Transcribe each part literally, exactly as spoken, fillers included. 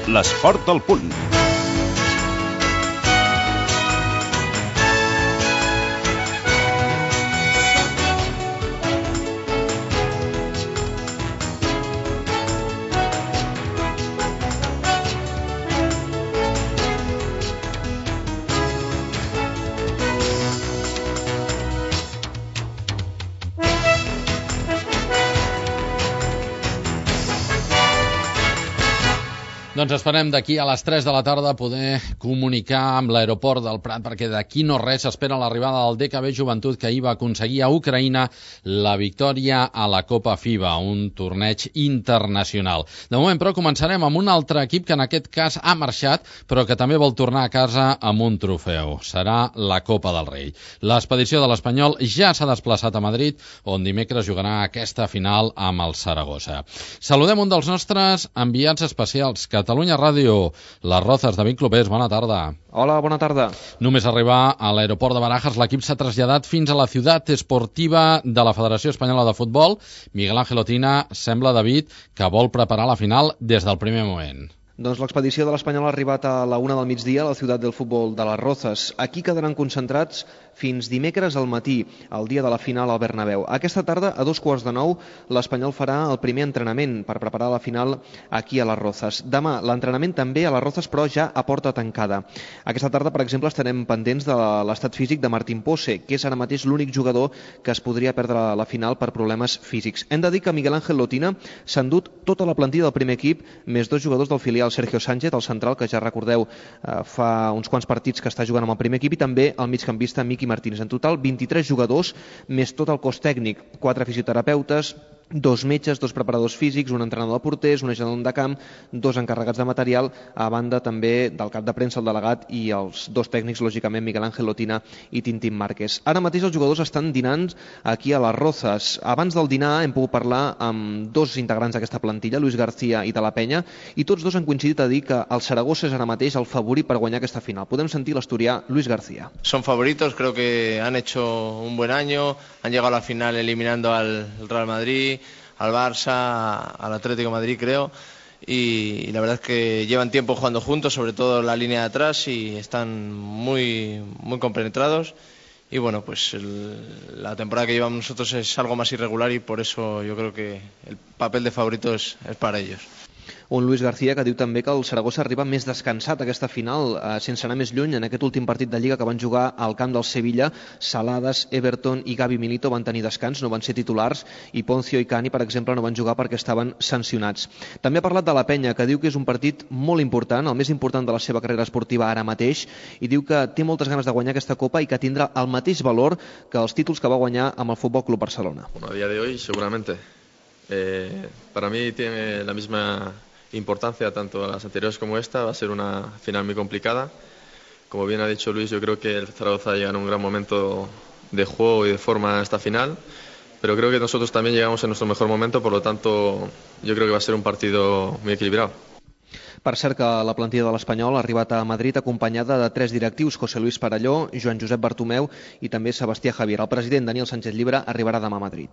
l'esport al punt. Doncs esperem d'aquí a les tres de la tarda poder comunicar amb l'aeroport del Prat, perquè d'aquí no res s'espera l'arribada del D K B Joventut, que ahir va aconseguir a Ucraïna la victòria a la Copa FIBA, un torneig internacional. De moment, però, començarem amb un altre equip que en aquest cas ha marxat, però que també vol tornar a casa amb un trofeu. Serà la Copa del Rei. L'expedició de l'Espanyol ja s'ha desplaçat a Madrid, on dimecres jugarà aquesta final amb el Saragossa. Saludem un dels nostres enviats especials, que Catalunya Ràdio, les Rozas, David Clopés, bona tarda. Hola, bona tarda. Només arribar a l'aeroport de Barajas, l'equip s'ha traslladat fins a la ciutat esportiva de la Federació Espanyola de Futbol. Miguel Ángel Otina, sembla, David, que vol preparar la final des del primer moment. Doncs l'expedició de l'Espanyol ha arribat a la una del migdia a la ciutat del futbol de les Rozas. Aquí quedaran concentrats fins dimecres al matí, el dia de la final al Bernabéu. Aquesta tarda, a dos quarts de nou, l'Espanyol farà el primer entrenament per preparar la final aquí a les Rozas. Demà, l'entrenament també a les Rozas, però ja a porta tancada. Aquesta tarda, per exemple, estarem pendents de l'estat físic de Martín Pose, que és ara mateix l'únic jugador que es podria perdre la final per problemes físics. Hem de dir que Miguel Ángel Lotina s'ha endut tota la plantilla del primer equip, més dos jugadors del filial, Sergio Sánchez, el central, que ja recordeu eh, fa uns quants partits que està jugant amb el primer equip, i també el migcampista Miki Martínez. En total, vint-i-tres jugadors, més tot el cos tècnic, quatre fisioterapeutes, dos metges, dos preparadors físics, un entrenador de porters, un ajudant de camp, dos encarregats de material, a banda també del cap de premsa, el delegat, i els dos tècnics, lògicament, Miguel Ángel Lotina i Tintín Márquez. Ara mateix els jugadors estan dinant aquí a les Rozas. Abans del dinar hem pogut parlar amb dos integrants d'aquesta plantilla, Luis García i de la Penya, i tots dos han coincidit a dir que el Saragossa és ara mateix el favorit per guanyar aquesta final. Podem sentir l'asturià Luis García. Son favoritos, creo que han hecho un buen año, han llegado a la final eliminando al Real Madrid, al Barça, al Atlético de Madrid, creo, y, y la verdad es que llevan tiempo jugando juntos, sobre todo la línea de atrás, y están muy, muy compenetrados. Y bueno, pues el, la temporada que llevamos nosotros es algo más irregular, y por eso yo creo que el papel de favorito es, es para ellos. Un Luis García que diu també que el Saragossa arriba més descansat a aquesta final, eh, sense anar més lluny. En aquest últim partit de Lliga que van jugar al camp del Sevilla, Saladas, Everton i Gavi Milito van tenir descans, no van ser titulars, i Poncio i Cani, per exemple, no van jugar perquè estaven sancionats. També ha parlat de la Penya, que diu que és un partit molt important, el més important de la seva carrera esportiva ara mateix, i diu que té moltes ganes de guanyar aquesta Copa i que tindrà el mateix valor que els títols que va guanyar amb el Futbol Club Barcelona. Bueno, a día de hoy, seguramente. Eh, para mí tiene la misma importancia tanto a las anteriores como esta. Va a ser una final muy complicada. Como bien ha dicho Luis, yo creo que el Zaragoza llega en un gran momento de juego y de forma a esta final, pero creo que nosotros también llegamos en nuestro mejor momento, por lo tanto yo creo que va a ser un partido muy equilibrado. Per cert que la plantilla de l'Espanyol ha arribat a Madrid acompanyada de tres directius, José Luis Parelló, Joan Josep Bartomeu i també Sebastià Javier. El president Daniel Sánchez Llibre arribarà demà a Madrid.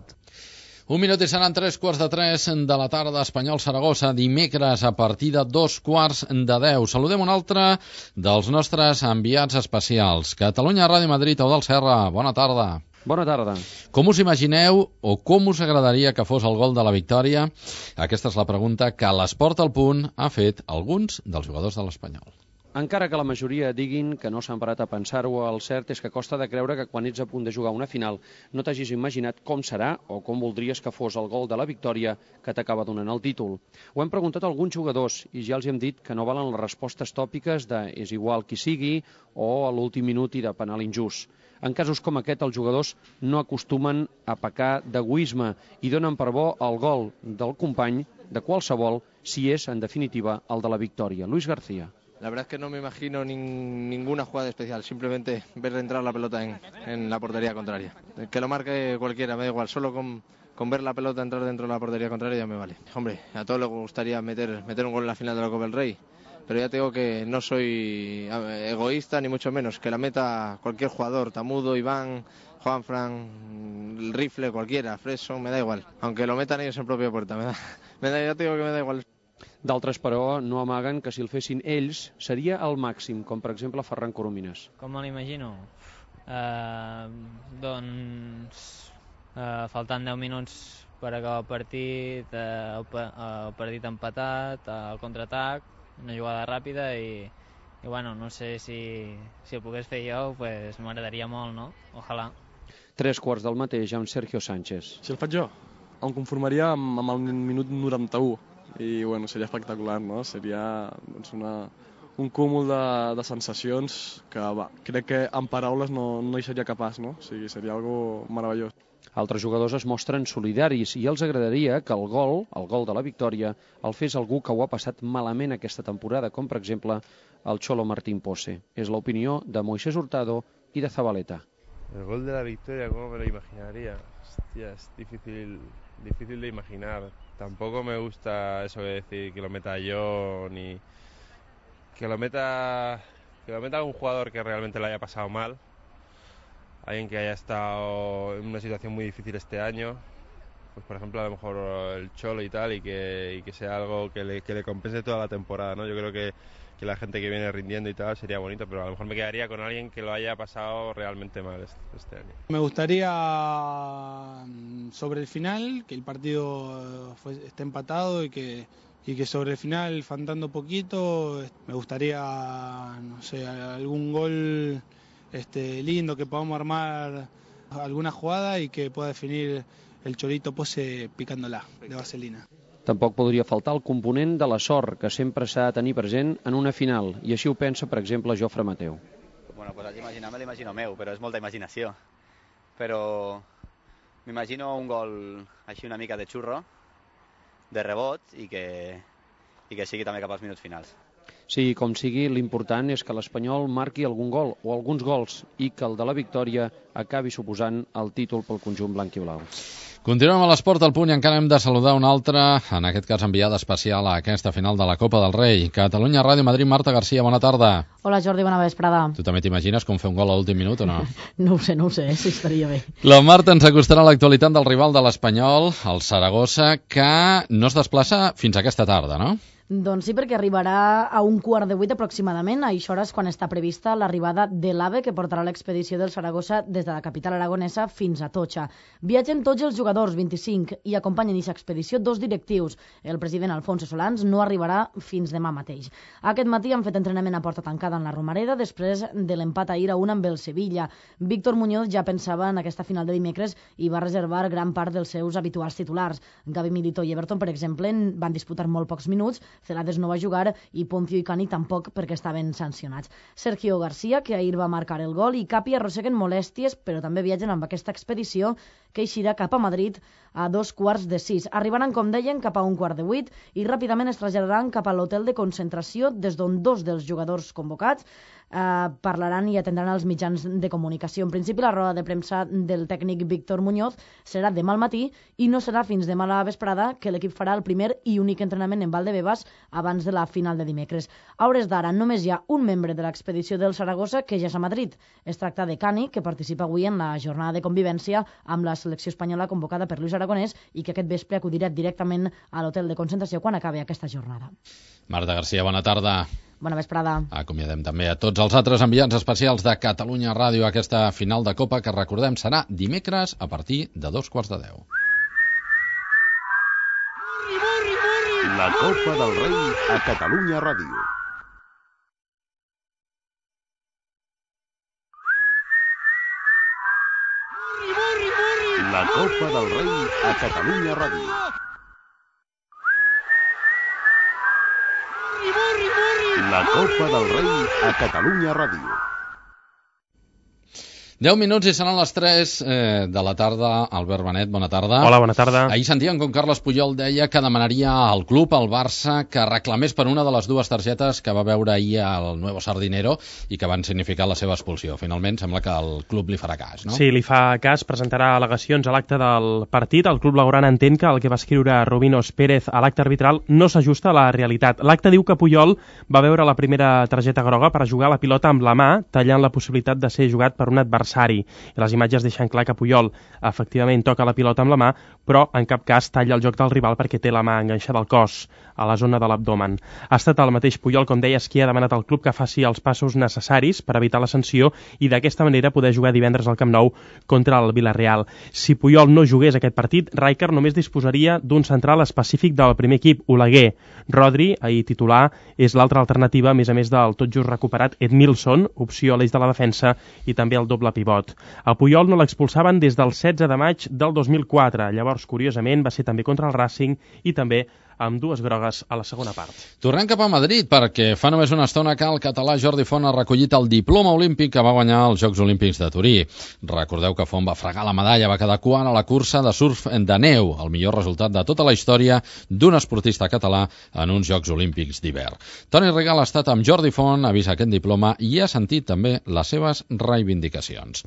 Un minut i seran tres quarts de tres de la tarda, Espanyol-Saragossa, dimecres a partir de dos quarts de deu. Saludem un altre dels nostres enviats especials. Catalunya Ràdio Madrid, Eudald Serra, bona tarda. Bona tarda. Com us imagineu o com us agradaria que fos el gol de la victòria? Aquesta és la pregunta que l'Esport al Punt ha fet alguns dels jugadors de l'Espanyol. Encara que la majoria diguin que no s'han parat a pensar-ho, el cert és que costa de creure que quan ets a punt de jugar una final no t'hagis imaginat com serà o com voldries que fos el gol de la victòria que t'acaba donant el títol. Ho hem preguntat a alguns jugadors i ja els hem dit que no valen les respostes tòpiques de és igual qui sigui o a l'últim minut i de penal injust. En casos com aquest, els jugadors no acostumen a pecar d'egoisme i donen per bo el gol del company, de qualsevol, si és, en definitiva, el de la victòria. Luis García. La verdad es que no me imagino ni, ninguna jugada especial, simplemente ver entrar la pelota en, en la portería contraria. Que lo marque cualquiera, me da igual, solo con, con ver la pelota entrar dentro de la portería contraria ya me vale. Hombre, a todos les gustaría meter, meter un gol en la final de la Copa del Rey, pero ya te digo que no soy egoísta ni mucho menos, que la meta cualquier jugador, Tamudo, Iván, Juanfran, el Rifle, cualquiera, Freso, me da igual, aunque lo metan ellos en propia puerta, me da, me da, ya te digo que me da igual. D'altres, però, no amaguen que si el fessin ells seria el màxim, com per exemple Ferran Coromines. Com me l'imagino? Uh, doncs uh, faltant deu minuts per acabar el partit, uh, el, el partit empatat, el contraatac, una jugada ràpida i, i bueno, no sé si, si ho pogués fer jo, pues m'agradaria molt, no? Ojalà. Tres quarts del mateix amb Sergio Sánchez. Si el faig jo, em conformaria amb, amb el minut noranta-u i bueno, seria espectacular, no? Seria doncs, una, un cúmul de, de sensacions que va, crec que en paraules no, no hi seria capaç, no? O sigui, seria algo meravellós. Altres jugadors es mostren solidaris i els agradaria que el gol, el gol de la victòria, el fes algú que ho ha passat malament aquesta temporada, com per exemple el Cholo Martín Pose. És l'opinió de Moisés Hurtado i de Zabaleta. El gol de la victoria, ¿cómo me lo imaginaría? Hostia, es difícil, difícil de imaginar. Tampoco me gusta eso de decir que lo meta yo, ni que lo meta, que lo meta un jugador que realmente lo haya pasado mal. Alguien que haya estado en una situación muy difícil este año, pues por ejemplo a lo mejor el Cholo y tal, y que, y que sea algo que le, que le compense toda la temporada, ¿no? Yo creo que, que la gente que viene rindiendo y tal sería bonito, pero a lo mejor me quedaría con alguien que lo haya pasado realmente mal este, este año. Me gustaría sobre el final, que el partido fue, esté empatado y que, y que sobre el final, faltando poquito, me gustaría, no sé, algún gol Este, lindo, que podamos armar alguna jugada y que pueda definir el Cholito Pose picándola de vaselina. Tampoc podria faltar el component de la sort que sempre s'ha de tenir present en una final, i així ho pensa, per exemple, Jofre Mateu. Bueno, pues haig d'imaginar, me l'imagino meu, però és molta imaginació. Però m'imagino un gol així una mica de xurro, de rebot, i que, i que sigui també cap als minuts finals. Sí, com sigui, l'important és que l'Espanyol marqui algun gol o alguns gols i que el de la victòria acabi suposant el títol pel conjunt blanc i blau. Continuem a l'Esport al Punt i encara hem de saludar un altre, en aquest cas enviada especial a aquesta final de la Copa del Rei. Catalunya Ràdio Madrid, Marta Garcia, bona tarda. Hola Jordi, bona vesprada. Tu també t'imagines com fer un gol a l'últim minut o no? No ho sé, no ho sé, si estaria bé. La Marta ens acostarà a l'actualitat del rival de l'Espanyol, el Saragossa, que no es desplaça fins aquesta tarda, no? Doncs sí, perquè arribarà a un quart de vuit aproximadament. A això és quan està prevista l'arribada de l'AVE, que portarà l'expedició del Saragossa des de la capital aragonesa fins a Totxa. Viatgen tots els jugadors, vint-i-cinc, i acompanyen aquesta expedició dos directius. El president Alfonso Solans no arribarà fins demà mateix. Aquest matí han fet entrenament a porta tancada en la Romareda després de l'empat ahir a un amb el Sevilla. Víctor Muñoz ja pensava en aquesta final de dimecres i va reservar gran part dels seus habituals titulars. Gavi Milito i Everton, per exemple, van disputar molt pocs minuts. Celades no va jugar i Poncio i Cani tampoc perquè estaven sancionats. Sergio García, que ahir va marcar el gol, i Capi arrosseguen molèsties, però també viatgen amb aquesta expedició que eixirà cap a Madrid a dos quarts de sis. Arribaran, com deien, cap a un quart de vuit i ràpidament es traslladaran cap a l'hotel de concentració des d'on dos dels jugadors convocats eh, parlaran i atendran els mitjans de comunicació. En principi, la roda de premsa del tècnic Víctor Muñoz serà demà al matí i no serà fins demà a la vesprada que l'equip farà el primer i únic entrenament en Valdebebas abans de la final de dimecres. A hores d'ara només hi ha un membre de l'expedició del Saragossa que ja és a Madrid. Es tracta de Cani, que participa avui en la jornada de convivència amb la selecció espanyola convocada per Luis Aragonès i que aquest vespre acudirà directament a l'hotel de concentració quan acabi aquesta jornada. Marta Garcia, bona tarda. Bona vesprada. Acomiadem també a tots els altres enviats especials de Catalunya Ràdio a aquesta final de Copa que, recordem, serà dimecres a partir de dos quarts de deu. La Copa del Rei a Catalunya Ràdio. La Copa del Rei a Catalunya Ràdio. La Copa del Rei a Catalunya Ràdio. deu minuts i seran les tres eh, de la tarda. Albert Benet, bona tarda. Hola, bona tarda. Ahir sentíem com Carles Puyol deia que demanaria al club, al Barça, que reclamés per una de les dues targetes que va veure ahir al Nuevo Sardinero i que van significar la seva expulsió. Finalment, sembla que el club li farà cas, no? Sí, li fa cas, presentarà al·legacions a l'acte del partit. El club blaugrana entén que el que va escriure Rubinos Pérez a l'acte arbitral no s'ajusta a la realitat. L'acte diu que Puyol va veure la primera targeta groga per jugar la pilota amb la mà, tallant la possibilitat de ser jugat per un adversari adversari. I les imatges deixen clar que Puyol efectivament toca la pilota amb la mà, però en cap cas talla el joc del rival perquè té la mà enganxada al cos, a la zona de l'abdomen. Ha estat el mateix Puyol, com deies, qui ha demanat al club que faci els passos necessaris per evitar la sanció i d'aquesta manera poder jugar divendres al Camp Nou contra el Villarreal. Si Puyol no jugués aquest partit, Rijkaard només disposaria d'un central específic del primer equip, Oleguer. Rodri, ahir titular, és l'altra alternativa, a més a més del tot just recuperat Edmilson, opció a l'eix de la defensa, i també el doble pivot. A Puyol no l'expulsaven des del setze de maig del dos mil quatre. Llavors, curiosament, va ser també contra el Racing i també amb dues grogues a la segona part. Tornem cap a Madrid perquè fa només una estona que el català Jordi Font ha recollit el diploma olímpic que va guanyar als Jocs Olímpics de Turí. Recordeu que Font va fregar la medalla, va quedar quart a la cursa de surf de neu, el millor resultat de tota la història d'un esportista català en uns Jocs Olímpics d'hivern. Toni Rigal ha estat amb Jordi Font, ha vist aquest diploma i ha sentit també les seves reivindicacions.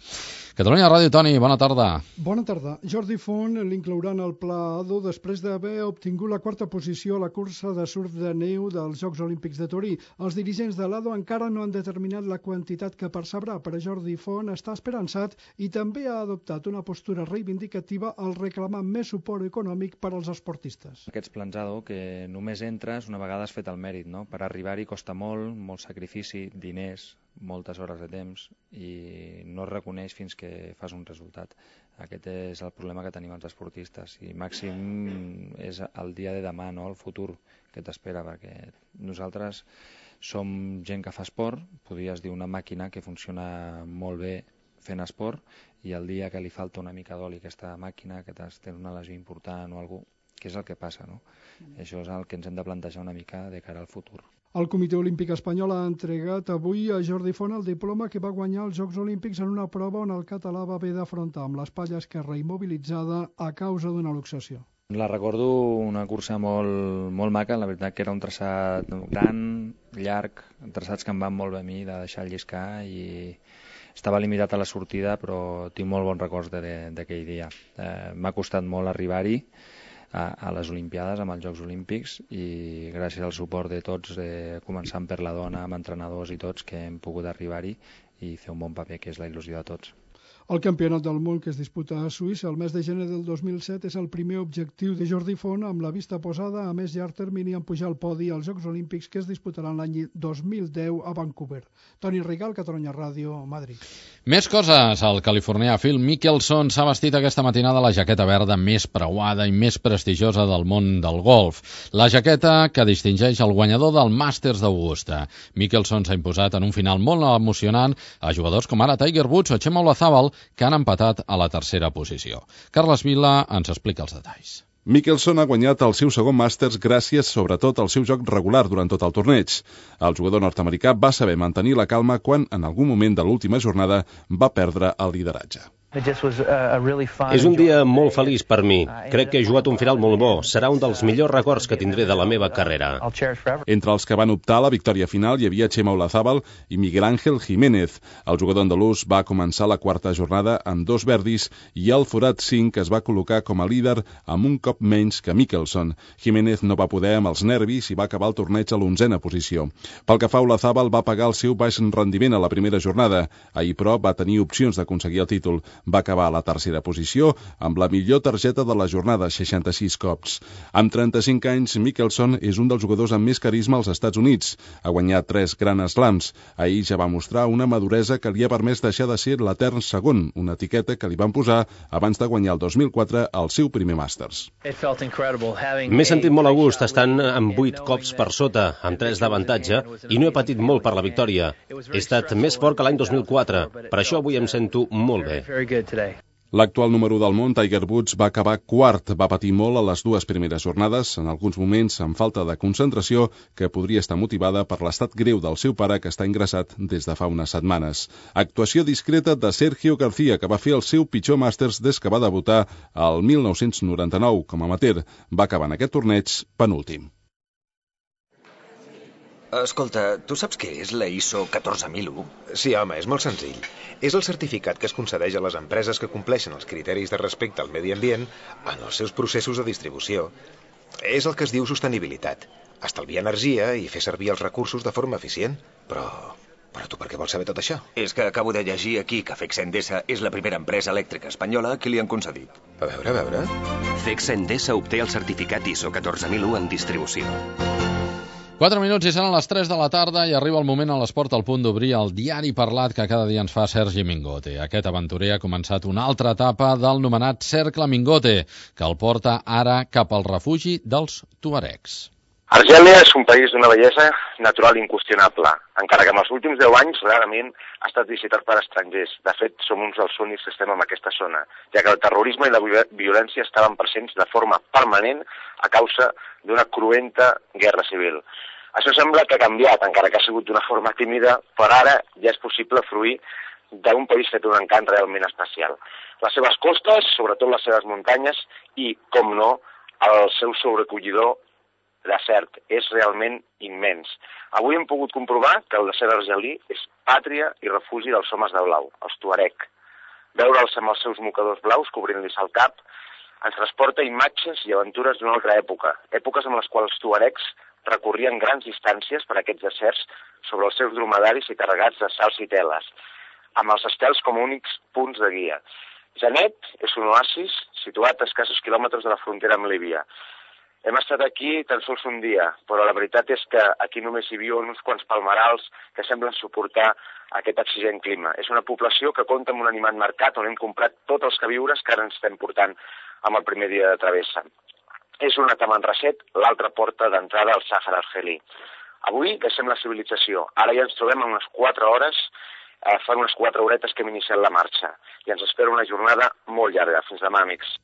Catalunya Ràdio, Toni, bona tarda. Bona tarda. Jordi Font l'inclouran al Pla A dos després d'haver obtingut la quarta posició a la cursa de surf de neu dels Jocs Olímpics de Turí. Els dirigents de l'A D O encara no han determinat la quantitat que percebrà, però Jordi Font està esperançat i també ha adoptat una postura reivindicativa al reclamar més suport econòmic per als esportistes. Aquests plans A D O que només entres una vegada has fet el mèrit, no? Per arribar-hi costa molt, molt sacrifici, diners, moltes hores de temps i no es reconeix fins que fas un resultat. Aquest és el problema que tenim els esportistes i màxim és el dia de demà, no? El futur que t'espera, perquè nosaltres som gent que fa esport, podries dir una màquina que funciona molt bé fent esport i el dia que li falta una mica d'oli a aquesta màquina, que t'has té una lesió important o alguna cosa, què és el que passa, no? Mm. Això és el que ens hem de plantejar una mica de cara al futur. El Comitè Olímpic Espanyol ha entregat avui a Jordi Font el diploma que va guanyar els Jocs Olímpics en una prova on el català va haver d'afrontar amb l'espatlla esquerra immobilitzada a causa d'una luxació. La recordo una cursa molt, molt maca, la veritat que era un traçat gran, llarg, traçats que em van molt bé a mi de deixar lliscar i estava limitat a la sortida, però tinc molt bons records d'aquell dia. Eh, m'ha costat molt arribar-hi a, a les Olimpiades, amb els Jocs Olímpics, i gràcies al suport de tots, eh, començant per la dona, amb entrenadors i tots, que hem pogut arribar-hi i fer un bon paper, que és la il·lusió de tots. El Campionat del Món que es disputa a Suïssa el mes de gener del dos mil set és el primer objectiu de Jordi Font amb la vista posada a més llarg termini en pujar al podi als Jocs Olímpics que es disputaran l'any dos mil deu a Vancouver. Toni Rigal, Catalunya Ràdio, Madrid. Més coses. El californià Phil Mickelson s'ha vestit aquesta matinada la jaqueta verda més preuada i més prestigiosa del món del golf. La jaqueta que distingeix el guanyador del Masters d'Augusta. Mickelson s'ha imposat en un final molt emocionant a jugadors com ara Tiger Woods o Xema Olazábal, que han empatat a la tercera posició. Carles Vila ens explica els detalls. Mickelson ha guanyat el seu segon Masters gràcies sobretot al seu joc regular durant tot el torneig. El jugador nord-americà va saber mantenir la calma quan en algun moment de l'última jornada va perdre el lideratge. És un dia molt feliç per mi. Crec que he jugat un final molt bo. Serà un dels millors records que tindré de la meva carrera. Entre els que van optar a la victòria final hi havia Xema Olazábal i Miguel Ángel Jiménez. El jugador andalús va començar la quarta jornada amb dos verdis i el forat cinc es va col·locar com a líder amb un cop menys que Mickelson. Jiménez no va poder amb els nervis i va acabar el torneig a l'onzena posició. Pel que fa a Olazábal, va pagar el seu baix rendiment a la primera jornada. Ahir, però, va tenir opcions d'aconseguir el títol. Va acabar a la tercera posició amb la millor targeta de la jornada, seixanta-sis cops. Amb trenta-cinc anys, Mickelson és un dels jugadors amb més carisma als Estats Units. Ha guanyat tres Grand Slams. Ahir ja va mostrar una maduresa que li ha permès deixar de ser l'etern segon, una etiqueta que li van posar abans de guanyar el dos mil quatre el seu primer Masters. M'he sentit molt a gust estant amb vuit cops per sota, amb tres d'avantatge, i no he patit molt per la victòria. He estat més fort que l'any dos mil quatre, per això avui em sento molt bé. L'actual número del món, Tiger Woods, va acabar quart. Va patir molt a les dues primeres jornades, en alguns moments amb falta de concentració, que podria estar motivada per l'estat greu del seu pare, que està ingressat des de fa unes setmanes. Actuació discreta de Sergio García, que va fer el seu pitjor Masters des que va debutar al mil nou-cents noranta-nou com a amateur. Va acabar en aquest torneig penúltim. Escolta, tu saps què és la I S O catorze mil u? Sí, home, és molt senzill. És el certificat que es concedeix a les empreses que compleixen els criteris de respecte al medi ambient en els seus processos de distribució. És el que es diu sostenibilitat. Estalviar energia i fer servir els recursos de forma eficient. Però Però tu per què vols saber tot això? És que acabo de llegir aquí que Fex Endesa és la primera empresa elèctrica espanyola que li han concedit. A veure, a veure... Fex Endesa obté el certificat I S O catorze mil u en distribució. quatre minuts i seran les tres de la tarda i arriba el moment a l'esport al punt d'obrir el diari parlat que cada dia ens fa Sergi Mingote. Aquest aventurer ha començat una altra etapa del nomenat Cercle Mingote, que el porta ara cap al refugi dels tuaregs. Argèlia és un país d'una bellesa natural inqüestionable, encara que en els últims deu anys rarament ha estat visitat per estrangers. De fet, som uns dels únics que estem en aquesta zona, ja que el terrorisme i la violència estaven presents de forma permanent a causa d'una cruenta guerra civil. Això sembla que ha canviat, encara que ha sigut d'una forma tímida, però ara ja és possible fruir d'un país que té un encant realment especial. Les seves costes, sobretot les seves muntanyes i, com no, el seu sobrecollidor desert és realment immens. Avui hem pogut comprovar que el desert argelí és pàtria i refugi dels homes de blau, els tuareg. Veure'ls amb els seus mocadors blaus cobrint-los el cap ens transporta imatges i aventures d'una altra època, èpoques amb les quals els tuaregs recorrien grans distàncies per aquests deserts sobre els seus dromedaris i carregats de sals i teles, amb els estels com únics punts de guia. Janet és un oasis situat a escassos quilòmetres de la frontera amb Líbia. Hem estat aquí tan sols un dia, però la veritat és que aquí només hi viuen uns quants palmerals que semblen suportar aquest exigent clima. És una població que compta amb un animat mercat on hem comprat tots els queviures que ara ens estem portant amb el primer dia de travessa. És una Tamanrasset, l'altra porta d'entrada al Sàhara argelí. Avui deixem la civilització. Ara ja ens trobem en unes quatre hores, eh, fa unes quatre horetes que hem iniciat la marxa. I ens espera una jornada molt llarga. Fins demà, amics.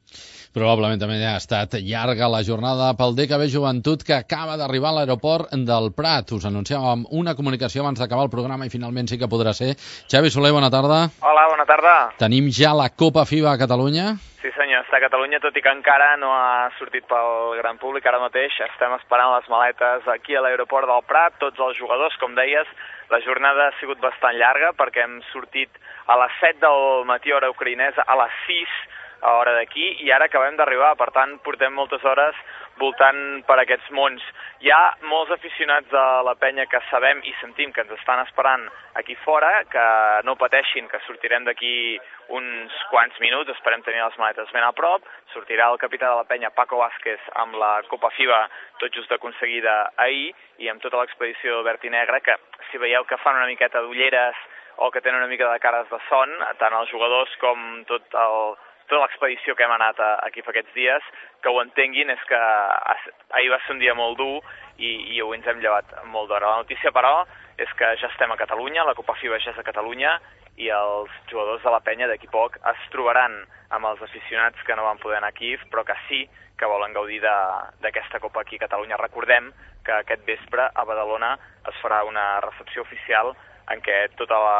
Probablement també ha estat llarga la jornada pel D K B Joventut, que acaba d'arribar a l'aeroport del Prat. Us anunciàvem una comunicació abans d'acabar el programa i finalment sí que podrà ser. Xavi Soler, bona tarda. Hola, bona tarda. Tenim ja la Copa FIBA a Catalunya? Sí senyor, està a Catalunya, tot i que encara no ha sortit pel gran públic. Ara mateix estem esperant les maletes aquí a l'aeroport del Prat, tots els jugadors, com deies. La jornada ha sigut bastant llarga perquè hem sortit a les set del matí hora ucraïnesa, a les sis a hora d'aquí, i ara acabem d'arribar. Per tant, portem moltes hores voltant per aquests mons. Hi ha molts aficionats de la penya que sabem i sentim que ens estan esperant aquí fora, que no pateixin, que sortirem d'aquí uns quants minuts, esperem tenir les maletes ben a prop. Sortirà el capità de la penya, Paco Vázquez, amb la Copa FIBA tot just aconseguida ahir, i amb tota l'expedició verd i negre, que si veieu que fan una miqueta d'ulleres o que tenen una mica de cares de son, tant els jugadors com tot el tota l'expedició que hem anat aquí fa aquests dies, que ho entenguin, és que ahir va ser un dia molt dur i, i avui ens hem llevat molt d'hora. La notícia, però, és que ja estem a Catalunya, la Copa FIBA ja és a Catalunya, i els jugadors de la penya d'aquí poc es trobaran amb els aficionats que no van poder anar a Kíev, però que sí que volen gaudir d'aquesta Copa aquí a Catalunya. Recordem que aquest vespre a Badalona es farà una recepció oficial en què tota la,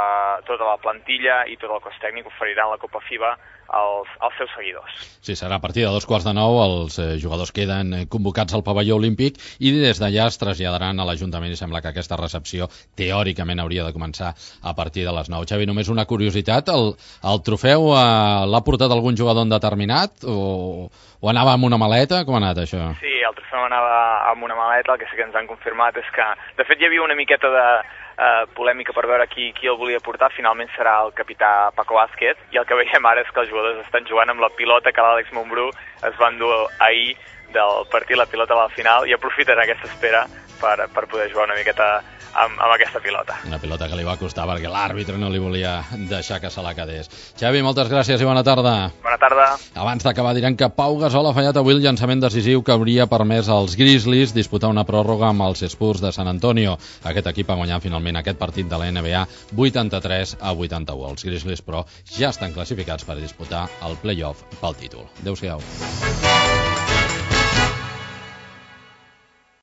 tota la plantilla i tot el cos tècnic oferiran la Copa FIBA als, als seus seguidors. Sí, serà a partir de dos quarts de nou, els eh, jugadors queden convocats al pavelló olímpic i des d'allà es traslladaran a l'Ajuntament i sembla que aquesta recepció teòricament hauria de començar a partir de les nou. Xavi, només una curiositat, el, el trofeu eh, l'ha portat algun jugador determinat o, o anava amb una maleta? Com ha anat això? Sí, el trofeu anava amb una maleta, el que sí que ens han confirmat és que, de fet, hi havia una miqueta de Uh, polèmica per veure qui, qui el volia portar. Finalment serà el capità Paco Vázquez, i el que veiem ara és que els jugadors estan jugant amb la pilota que l'Àlex Montbrú es va endur ahir del partit, la pilota a la final, i aprofiten aquesta espera per, per poder jugar una miqueta amb, amb aquesta pilota. Una pilota que li va costar perquè l'àrbitre no li volia deixar que se la quedés. Xavi, moltes gràcies i bona tarda. Bona tarda. Abans d'acabar direm que Pau Gasol ha fallat avui el llançament decisiu que hauria permès als Grizzlies disputar una pròrroga amb els Spurs de San Antonio. Aquest equip ha guanyat finalment aquest partit de la N B A vuitanta-tres a vuitanta-u. Els Grizzlies, però, ja estan classificats per disputar el play-off pel títol. Adéu-siau.